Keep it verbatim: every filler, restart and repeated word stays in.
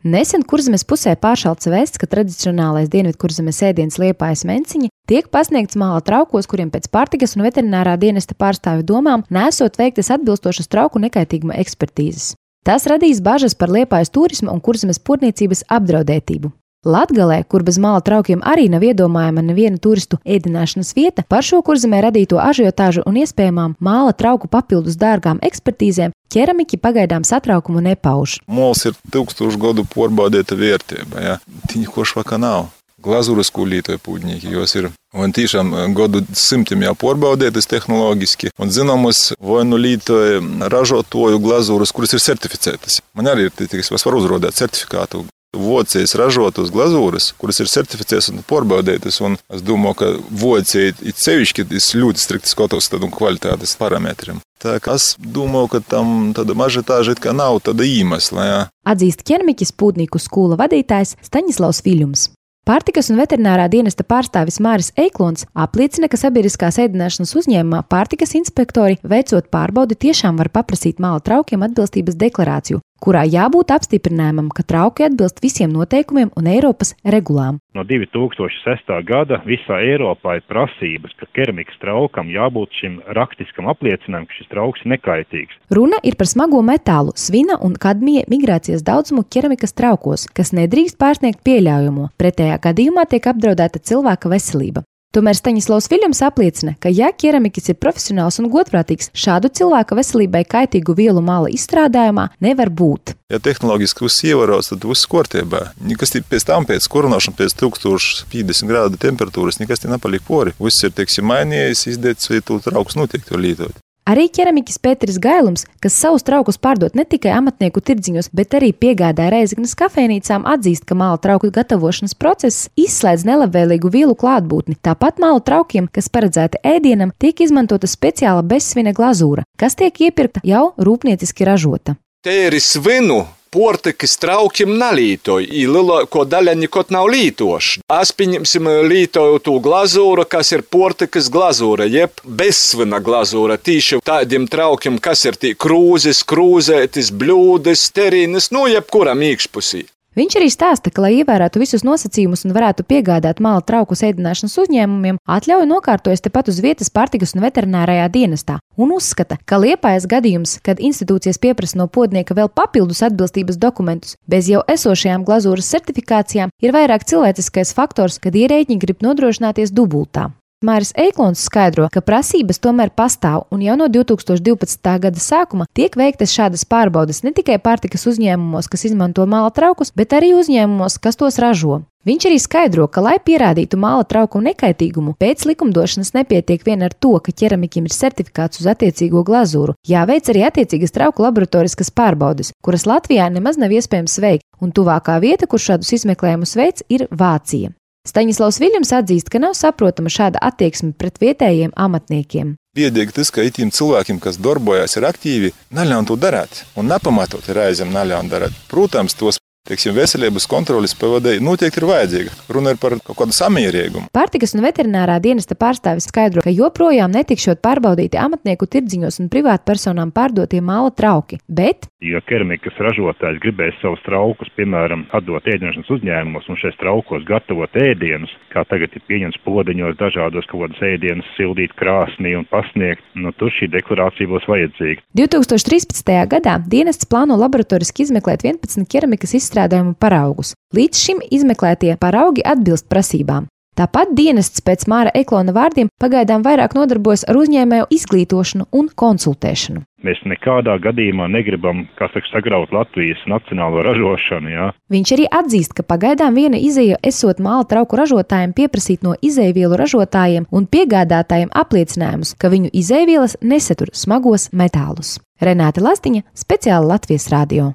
Nesen Kurzemes pusē pāršalts vēsts, ka tradicionālais Dienvidkurzemes ēdiens Liepājas menciņi tiek pasniegts māla traukos, kuriem pēc pārtikas un veterinārā dienesta pārstāvju domām nesot veiktas atbilstošas trauku nekaitīguma ekspertīzes. Tas radīs bažas par Liepājas turisma un Kurzemes purniecības apdraudētību. Latgalē, kur bez māla traukiem arī nav iedomājama neviena turistu ēdināšanas vieta, par šo Kurzemē radīto ažiotāžu un iespējamām māla trauku papildus dārgām ekspertīzēm ķeramiķi pagaidām satraukumu nepauž. Mols ir tūkstošu gadu porbaudēta vērtība, ja? Tiņa košvaka nav. Glazūras, ko lietoja pūdnieki, jos ir un tiešām gadu simtiem jau porbaudētas tehnoloģiski un zināmas vai nu lietoja ražotoju glazūras, kuras ir certificētas. Man arī ir, tiks, var uzrodēt certifikātu. Vocijas ražotas glazūras, kuras ir certificētas un porbaudētas, un es domāju, ka vocija ir sevišķi ļoti strikti skatos tādu kvalitātes parametriem. Tā kā es domāju, ka tam tāda mažetāža it kā nav tāda iemesla, jā. Atzīst ķermiķis Pūdnieku skūla vadītājs Staņislavs Viļums. Pārtikas un veterinārā dienesta pārstāvis Māris Eiklons apliecina, ka sabiedriskās ēdināšanas uzņēmumā pārtikas inspektori, veicot pārbaudi, tiešām var paprasīt māla traukiem atbilstības deklarāciju, kurā jābūt apstiprinājumam, ka trauki atbilst visiem noteikumiem un Eiropas regulām. No divi tūkstoši sestā gada visā Eiropā ir prasības, ka keramikas traukam jābūt šim rakstiskam apliecinājumam, ka šis trauks ir nekaitīgs. Runa ir par smago metālu, svina un kadmija migrācijas daudzumu keramikas traukos, kas nedrīkst pārsniegt pieļaujamo. Pretējā gadījumā tiek apdraudēta cilvēka veselība. Tomēr Staņislavs Viļums apliecina, ka ja keramiķis ir profesionāls un godprātīgs, šādu cilvēka veselībai kaitīgu vielu māla izstrādājumā nevar būt. Ja tehnoloģiski viss ievēros, tad viss kārtībā. Nekas pēc tam, pēc kurināšanas, pēc tūkstoš piecdesmit grādu temperatūras, nekas te nepaliek pori. Viss ir, teiksim, mainījies, izdēts, vai tu trauks noteikti var lietot. Arī ķeramiķis Pēteris Gailums, kas savus traukus pārdot ne tikai amatnieku tirdziņos, bet arī piegādā Rēzeknes kafejnīcām, atzīst, ka māla trauku gatavošanas process izslēdz nelabvēlīgu vielu klātbūtni. Tāpat māla traukiem, kas paredzēti ēdienam, tiek izmantota speciāla bezsvina glazūra, kas tiek iepirkta jau rūpnieciski ražota. Te ir svinu. Portikas traukiem nalītoju, i lielāko daļa nekot nav lītoši. Es pieņemsim lītoju tū glazūru, kas ir portikas glazūra, jeb bezsvina glazūra. Tīši tādiem traukiem, kas ir tī krūzes, krūzētis, bļūdes, terīnes, nu jebkuram iekšpusī. Viņš arī stāsta, ka, lai ievērētu visus nosacījumus un varētu piegādāt māla traukus ēdināšanas uzņēmumiem, atļauju nokārtojas tepat uz vietas pārtikas un veterinārajā dienestā un uzskata, ka Liepājas gadījums, kad institūcijas pieprasa no podnieka vēl papildus atbilstības dokumentus bez jau esošajām glazūras certifikācijām, ir vairāk cilvēciskais faktors, kad ierēģi grib nodrošināties dubultā. Māris Eiklons skaidro, ka prasības tomēr pastāv un jau no divi tūkstoši divpadsmitā gada sākuma tiek veiktas šādas pārbaudes ne tikai pārtikas uzņēmumos, kas izmanto māla traukus, bet arī uzņēmumos, kas tos ražo. Viņš arī skaidro, ka, lai pierādītu māla trauku nekaitīgumu, pēc likumdošanas nepietiek vien ar to, ka ķeramiķim ir certifikāts uz attiecīgo glazūru. Jāveic arī attiecīgas trauku laboratoriskas pārbaudes, kuras Latvijā nemaz nav iespējams veikt, un tuvākā vieta, kur šādus izmeklējumus veic, ir Vācija. Staņislavs Viļums atzīst, ka nav saprotama šāda attieksme pret vietējiem amatniekiem. Biedīgi tas, ka itiem cilvēkiem, kas darbojas, ir aktīvi, neļaun to darāt un nepamatot ir aizem neļaun darāt. Protams, tos, teiksim, veselības kontroles P V D noteikti ir vajadzīga. Runa ir par kaut kādu samierīgumu. Pārtikas un veterinārā dienesta pārstāvis skaidro, ka joprojām netikšot pārbaudīti amatnieku tirdziņos un privātpersonām pārdotie māla trauki, bet ja keramikas ražotājs gribēs savus traukus, piemēram, atdot ēdināšanas uzņēmumos un šais traukos gatavot ēdienus, kā tagad ir pieņems podeņos dažādos kaut kādas ēdienus, sildīt krāsnī un pasniegt, nu tur šī deklarācija būs vajadzīga. divi tūkstoši trīspadsmitajā gadā dienests plāno laboratoriski izmeklēt vienpadsmit keramikas izstrādājumu paraugus. Līdz šim izmeklētie paraugi atbilst prasībām. Tāpat dienests pēc Māra Eiklona vārdiem pagaidām vairāk nodarbojas ar uzņēmēju izglītošanu un konsultēšanu. Mēs nekādā gadījumā negribam, kā saka, sagraut Latvijas nacionālo ražošanu, jā. Viņš arī atzīst, ka pagaidām viena izeja esot māla trauku ražotājiem pieprasīt no izejvielu ražotājiem un piegādātājiem apliecinājumus, ka viņu izejvielas nesatur smagos metālus. Renāte Lastiņa, speciāli Latvijas radio.